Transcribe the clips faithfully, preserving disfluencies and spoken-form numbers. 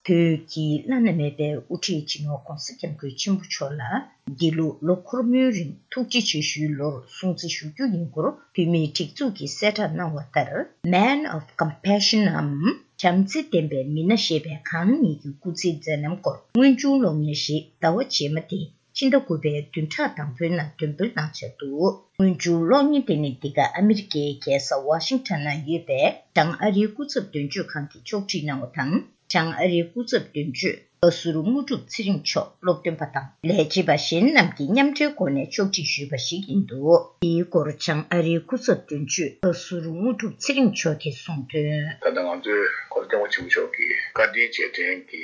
བོད་ཀྱི་བླ་ན་མེད་པའི་དབུ་ཁྲིད་སྤྱི་ནོར་༧གོང་ས་༧སྐྱབས་མགོན་ཆེན་པོ་མཆོག་ལ་འདི་ལོ་ལོ་འཁོར་མོའི་རིང་ཐུགས་རྗེ་ཆེ་ཞུའི་ལོར་སྲུང་བརྩི་ཞུ་རྒྱུ་ཡིན་སྐོར་བོད་མིའི་སྒྲིག་འཛུགས་ཀྱིས་གསལ་བསྒྲགས་གནང་བ་ལྟར། Man of Compassion འམ་བྱམས་བརྩེ་ལྡན་པའི་མི་སྣ་ཞེས་པའི་གང་ཉིད་ཀྱི་སྐུ་ཚེའི་མཛད་རྣམ་སྐོར་དངོས་བྱུང་གློག་བརྙན་ཞིག་ཟླ་བ་རྗེས་མ་སྟེ། ཕྱི་ཟླ་དགུ་པའི་བདུན་ཕྲག་དང་པོའི་ནང་འདོན་སྤེལ་གནང་འཆར་འདུག་དངོས་བྱུང་གློག་བརྙན་དེ་ནི་འདི་ག་ཨ་མི་རི་ཀའི་རྒྱལ་ས་ཝ་ཤིང་ཊོན་ན་ཡོད་པའི་བྱང་ཨ་རིའི་སྐུ་ཚབ་དོན་གཅོད་ཁང་གིས་ཕྱོགས་སྒྲིག་གནང་བ་དང་། བྱང་ཨ་རིའི་སྐུ་ཚབ་དོན་གཅོད་བཀའ་ཟུར་དངོས་གྲུབ་ཚེ་རིང་མཆོག་སློབ་སྟོན་པ་དང་ལས་བྱེད་པ་གཞན་རྣམས་ཀྱིས་མཉམ་འབྲེལ་སྒོ་ནས་ཕྱོགས་སྒྲིག་ཞུས་པ་ཞིག་ཡིན་འདུག་དེའི་སྐོར་བྱང་ཨ་རིའི་སྐུ་ཚབ་དོན་གཅོད་བཀའ་ཟུར་དངོས་གྲུབ་ཚེ་རིང་མཆོག་གིས་གསུངས་དོན། ད་ལྟ་ང་ཚོའི་གོ་ལ་སྐྱབས་མགོན་ཆེན་པོ་མཆོག་གིས་བཀའ་དྲིན་རྗེས་དྲན་གྱི་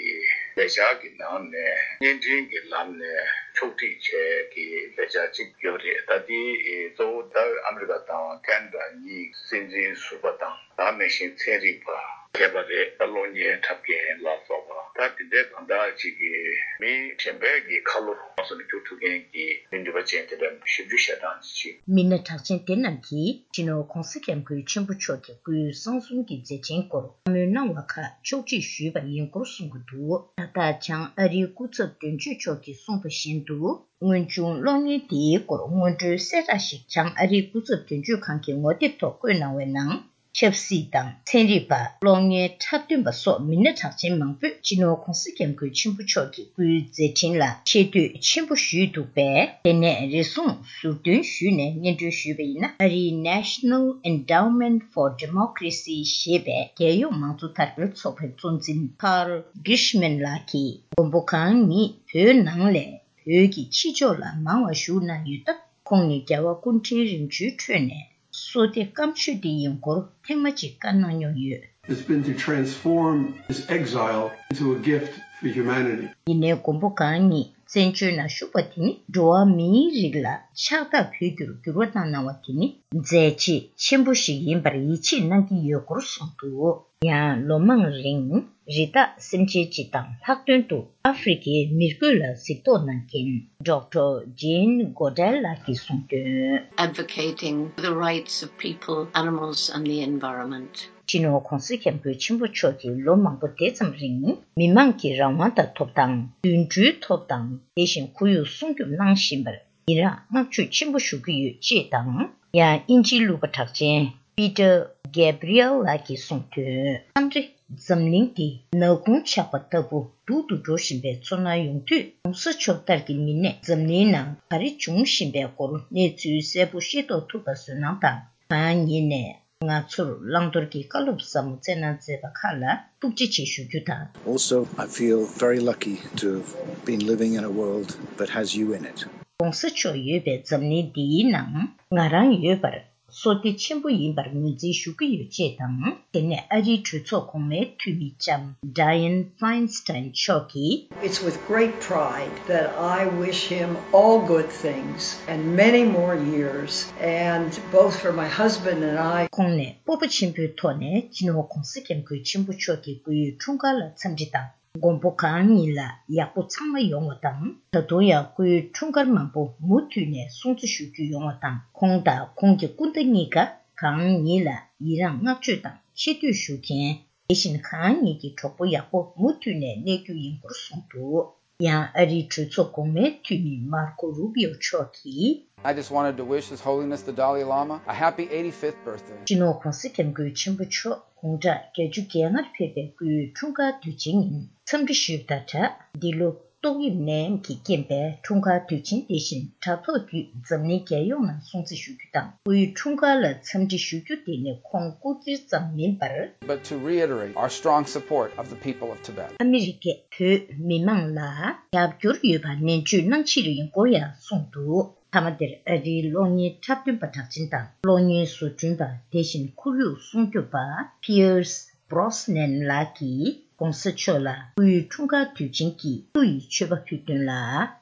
ལས་འཆར་གྱི་ནང་ནས་བརྙན་འཕྲིན་གྱི་ལམ་ནས་ཕྱོགས་སྒྲིག་བྱས་ཀྱི་ལས་འཆར་གཅིག་ཡོད་རེད། ད་དེ་གཙོ་བོ་ད་ཨ་མི་རི་ཀ་དང་ཁེ་ན་ཌ་གཉིས་སྲིད་འཛིན་ཟུར་པ་དང་། ད་ག་ནང་བཞིན་ཚན་རིག་པ་མཁས་པ་རེད། ད་གློག་བརྙན་འཁྲབ་མཁན་ལ་སོགས་པ། ད་དེ་འདྲའི་གང་འདྲ་ཅིག་གིས་མི་གཞན་པའི་གི་ཁ་ལོ་ལོངས་སུ་འགྱུར་ཐུབ་མཁན་གྱི་མི་ནུས་པ་ཅན་དེ་འདྲ་ཞིབ་འཇུག་བྱེད་སྟངས་ཅིག་མི་སྣ་གྲགས་ཅན་དེ་རྣམས་ཀྱིས་སྤྱི་ནོར་༧གོང་ས་༧སྐྱབས་མགོན་ཆེན་པོ་མཆོག་གི་སྐུའི་གསང་གསུམ་གྱི་མཛད་འཕྲིན་སྐོར་བཀའ་མོལ་གནང་བ་ཁག་ཕྱོགས་སྒྲིག་ཞུས་པ་ཡིན་སྐོར་གསུང་གི་འདུག་ད་ལྟ་བྱང་ཨ་རིའི་སྐུ་ཚབ་དོན་གཅོད་མཆོག་གིས་གསུངས་པ་བཞིན་དུ། དངོས་བྱུང་གློག་བརྙན་དེའི་སྐོར་སྔོན་འགྲོའི་གསལ་བསྒྲགས་ཤིག་བྱང་ཨ་རིའི་སྐུ་ཚབ་དོན་གཅོད་ཁང་གི་ངོ་དེབ་ཐོག་བཀོད་གནང་བའི་ནང་། ཆབ་སྲིད་དང་ཚན་རིག་པ། གློག་བརྙན་འཁྲབ་སྟོན་པ་སོགས་མི་སྣ་གྲགས་ཅན་མང་པོས་སྤྱི་ནོར་༧གོང་ས་༧སྐྱབས་མགོན་ཆེན་པོ་མཆོག་གི་སྐུའི་མཛད་འཕྲིན་ལ་ཆེ་བསྟོད་ཆེན་པོ་ཞུས་འདུག་པས། དེ་ནས་རེ་ཟུང་ཟུར་འདོན་ཞུས་ནས་སྙན་སྒྲོན་ཞུས་པ་ཡིན་ན། ཨ་རིའི་National Endowment for Democracy ཞེས་པའི་རྒྱལ་ཡོངས་མང་གཙོ་དར་སྤེལ་ཚོགས་པའི་གཙོ་འཛིན་Carl Gershman ལགས་ཀྱིས་མགོན་པོ་གང་ཉིད་བོད་ནང་ལས། བོད་ཀྱི་ཕྱི་ཕྱོགས་ལ་མང་བ་བཞུགས་གནང་ཡོད་སྟབས། ཁོང་ནི་རྒྱལ་བ་སྐུ་ཕྲེང་རིམ་བྱོན་ཁྲོད་ནས་བསོད་བདེ་སྐམ་ཤོས་དེ་ཡིན་སྐོར་ཐེངས་མ་གཅིག་བཀའ་གནང་མྱོང་ཡོད། Has been to transform his exile into a gift for humanity. ཡིན་ནའི་མགོན་པོ་གང་ཉིད་བཙན་བྱོལ་ནང་བཞུགས་པ་དེ་ནི་འགྲོ་བ་མིའི་རིགས་ལ་ཕྱག་རྟགས་ཕུལ་རྒྱུར་འགྱུར་བ་བཏང་གནང་བ་དེ་ནི་མཛད་རྗེས་ཆེན་པོ་ཞིག་ཡིན་པར་ཡིད་ཆེས་གནང་གི་ཡོད་སྐོར་གསུངས་འདུག་ཡང་ལོ་མང་རིང་རི་དྭགས་སེམས་ཅན་སྤྱི་དང་ལྷག་དོན་དུ་ཨ་ཧྥེ་རི་ཁའི་མི་རྒོད་ལ་གཟིགས་རྟོག་གནང་མཁན་Doctor Jane Goodall ལགས་ཀྱིས་གསུངས་དོན། Advocating the rights of people, animals and the environment. སྤྱི་ནོར་༧གོང་ས་༧སྐྱབས་མགོན་ཆེན་པོ་མཆོག་གིས་ལོ་མང་པོ་དེ་ཙམ་རིང་མི་མང་གི་རང་དབང་དང་ཐོབ་ཐང་། དུད་འགྲོའི་ཐོབ་ཐང་། དེ་བཞིན་ཁོར་ཡུག་སྲུང་སྐྱོབ་གནང་བཞིན་པར་ཡི་རངས་བསྔགས་བརྗོད་ཆེན་པོ་ཞུ་གི་ཡོད་ཅེས་དང་། ཡང་དབྱིན་ཇིའི་གླུ་པ་གྲགས་ཅན་Peter Gabriel ལགས་ཀྱིས་གསུངས་དོན། མཚམས་རེ་འཛམ་གླིང་འདི་ནག་ཁུང་ཆགས་པ་ལྟ་བུ་སྡུག་ཏུ་འགྲོ་བཞིན་པའི་ཚོར་སྣང་ཡོང་དུས། ༸གོང་ས་མཆོག་ལྟར་གྱི་མི་སྣས་འཛམ་གླིང་ནང་ག་རེ་འབྱུང་བཞིན་པའི་སྐོར་གནས་ཚུལ་གསལ་པོ་ཤེས་རྟོགས་ཐུབ་པ་བཟོས་གནང་དང་། གང་ཉིད་ནས་ང་ཚོར་བླང་དོར་གྱི་བཀའ་སློབ་ཟབ་མོ་སྩལ་གནང་མཛད་པ་ཁག་ལ་ཐུགས་རྗེ་ཆེ་ཞུ་རྒྱུ་དང་། Also, I feel very lucky to have been living in a world that has you in it. ༸གོང་ས་མཆོག་ཡོད་པའི་འཛམ་གླིང་འདིའི་ནང་ང་རང་ཡོད་པར་བསོད་བདེ་ཆེན་པོ་ཡིན་པར་ངོས་འཛིན་ཞུ་གི་ཡོད་ཅེས་དང་། དེ་ནས་ཨ་རིའི་གྲོས་ཚོགས་གོང་མའི་འཐུས་མི་ལྕམ་Dianne Feinstein མཆོག་གིས། It's with great pride that I wish him all good things and many more years, and both for my husband and I. ཁོང་ནས་སྤོབས་པ་ཆེན་པོའི་ཐོག་ནས་སྤྱི་ནོར་༸གོང་ས་༸སྐྱབས་མགོན་ཆེན་པོ་མཆོག་གི་སྐུའི་འཁྲུངས་སྐར་ལ་འཚམས་འདྲི་དང་། མགོན་པོ་གང་ཉིད་ལ་ཡག་པོ་ཚང་མ་ཡོང་བ་དང་། ད་དུང་ཡང་སྐུའི་འཁྲུངས་སྐར་མང་པོ་མུ་མཐུད་ནས་སྲུང་བརྩི་ཞུ་རྒྱུ་ཡོང་བ་དང་། ཁོང་དང་ཁོང་གི་སྐུ་ཟླ་གཉིས་ཀ་གང་ཉིད་ལ་ཡི་རངས་བསྔགས་བརྗོད་དང་ཆེ་བསྟོད་ཞུ་མཁན། དེ་བཞིན་གང་ཉིད་ཀྱི་གྲོགས་པོ་ཡག་པོ་མུ་མཐུད་ནས་གནས་རྒྱུ་ཡིན་སྐོར་གསུངས་འདུག་ཡང་ཨ་རིའི་གྲོས་ཚོགས་གོང་མའི་འཐུས་མི་མར་ཀོ་རུ་བི་ཡོ་མཆོག་གིས། I just wanted to wish His Holiness the Dalai Lama a happy eighty-fifth birthday. སྤྱི་ནོར་༸གོང་ས་༸སྐྱབས་མགོན་ཆེན་པོ་མཆོག་དགུང་གྲངས་བརྒྱད་ཅུ་གྱ་ལྔར་ཕེབས་པའི་སྐུའི་འཁྲུངས་སྐར་དུས་ཆེན་ཉིན་འཚམས་འདྲི་ཞུས་པ་དང་སྦྲགས། འདི་ལོ་ཏོག་དབྱིབས་ནད་ཡམས་ཀྱི་རྐྱེན་པས་འཁྲུངས་སྐར་དུས་ཆེན་དེ་བཞིན་དྲ་ཐོག་བརྒྱུད་འཛམ་གླིང་རྒྱལ་ཡོངས་ནང་སྲུང་བརྩི་ཞུ་རྒྱུ་དང་། སྐུའི་འཁྲུངས་སྐར་ལ་འཚམས་འདྲི་ཞུ་རྒྱུ་དེ་ནི་ཁོང་སྐུ་སྒེར་ཙམ་མིན་པར། But to reiterate our strong support of the people of Tibet. ཨ་མི་རི་ཀས་བོད་མི་མང་ལ་རྒྱབ་སྐྱོར་ཡོད་པ་ནན་བརྗོད་གནང་ཕྱིར་ཡིན་སྐོར་ཡང་གསུངས་འདུག་མཐའ་མ་དེར་ཨ་རིའི་གློག་བརྙན་འཁྲབ་སྟོན་པ་གྲགས་ཅན་དང་གློག་བརྙན་བཟོ་སྐྲུན་པ། དེ་བཞིན་ཁོར་ཡུག་སྲུང་སྐྱོབ་པ་Pierce Brosnan ལགས་ཀྱིས་༸གོང་ས་མཆོག་ལ་སྐུའི་འཁྲུངས་སྐར་དུས་ཆེན་གྱི་བསུ་ཡི་མཆོད་པ་ཕུལ་དོན་ལ།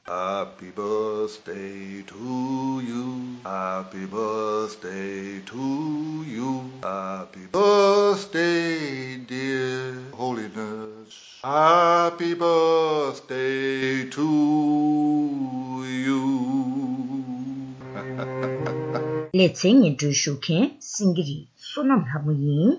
Happy birthday to you. Happy birthday to you. Happy birthday, dear Holiness. Happy birthday to you. ལེ་ཚན་སྙན་སྒྲོན་ཞུ་མཁན་སེང་གེ་རི་བསོད་ནམས་ལྷ་མོ་ཡིན།